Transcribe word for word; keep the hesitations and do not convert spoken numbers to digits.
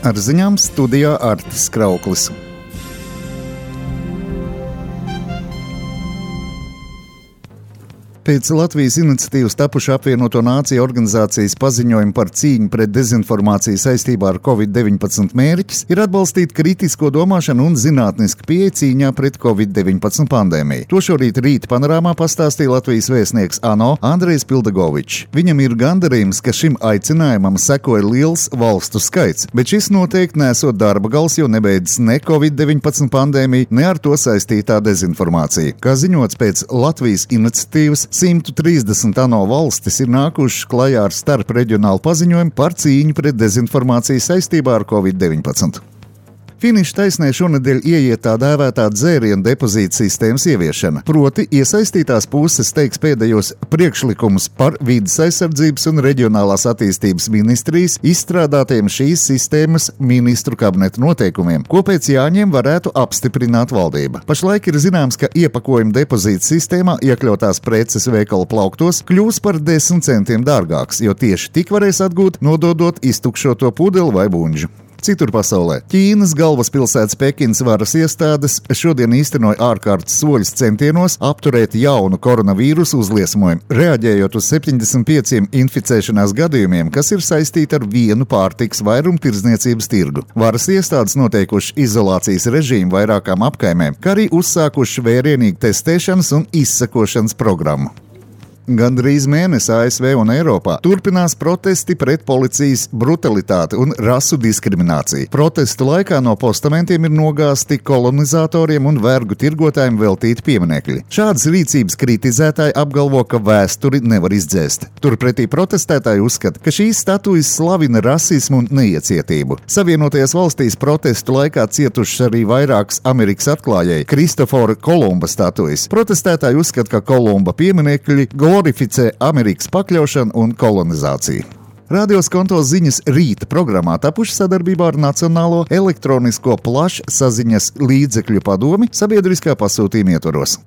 Ar ziņām studijā Artis Krauklis. Pēc Latvijas iniciatīvas tapuša apvienoto nāciju organizācijas paziņojuma par cīņu pret dezinformāciju saistībā ar covid deviņpadsmit mērķis ir atbalstīt kritisko domāšanu un zinātnisku pieeju cīņā pret covid deviņpadsmit pandēmiju. To šorīt rīta panorāmā pastāstīja Latvijas vēstnieks ANO Andrejs Pildagovičs. Viņam ir gandarījums, ka šim aicinājumam sekoja liels valstu skaits, bet šis noteikti nesot darba gals, jo nebeidzas ne covid deviņpadsmit pandēmija, ne ar to saistītā dezinformācija. Kā ziņots pēc Latvijas iniciatīvas, simt trīsdesmit ANO valstis ir nākušas klajā ar starpreģionālu paziņojumu par cīņu pret dezinformāciju saistībā ar covid deviņpadsmit. Finiša taisnē šonedēļ ieiet tā dēvētā dzērienu depozīta sistēmas ieviešana, proti iesaistītās puses teiks pēdējos priekšlikumus par vides aizsardzības un reģionālās attīstības ministrijas izstrādātiem šīs sistēmas ministru kabineta noteikumiem, ko pēc jāņem varētu apstiprināt valdība. Pašlaik ir zināms, ka iepakojuma depozīta sistēmā iekļautās preces veikala plauktos kļūs par desmit centiem dārgāks, jo tieši tik varēs atgūt, nododot iztukšoto pudeli vai buņģu. Citur pasaulē Ķīnas galvaspilsētas Pekinas varas iestādes šodien īstenoja ārkārtas soļus centienos apturēt jaunu koronavīrusu uzliesmojumu, reaģējot uz septiņdesmit pieciem inficēšanās gadījumiem, kas ir saistīti ar vienu pārtikas vairumtirdzniecības tirgu. Varas iestādes noteikuši izolācijas režīmu vairākām apkaimēm, kā arī uzsākuši vērienīgu testēšanas un izsekošanas programmu. Gandrīz mēnesi A S V un Eiropā turpinās protesti pret policijas brutalitāti un rasu diskrimināciju. Protestu laikā no postamentiem ir nogāzti kolonizatoriem un vergu tirgotājiem veltīti pieminekļi. Šādas rīcības kritizētāji apgalvo, ka vēsturi nevar izdzēst. Turpretī protestētāji uzskata, ka šīs statujas slavina rasismu un neiecietību. Savienotajās valstīs protestu laikā cietušas arī vairākas Amerikas atklājēji Kristofora Kolumba statujas. Protestētāji uzskata, ka Kolumba pieminekļi glorificē Amerikas pakļaušanu un kolonizāciju. Radio Skonto ziņas rīta programmā tapuši sadarbībā ar Nacionālo elektronisko plašsaziņas līdzekļu padomi sabiedriskā pasūtījuma ietvaros.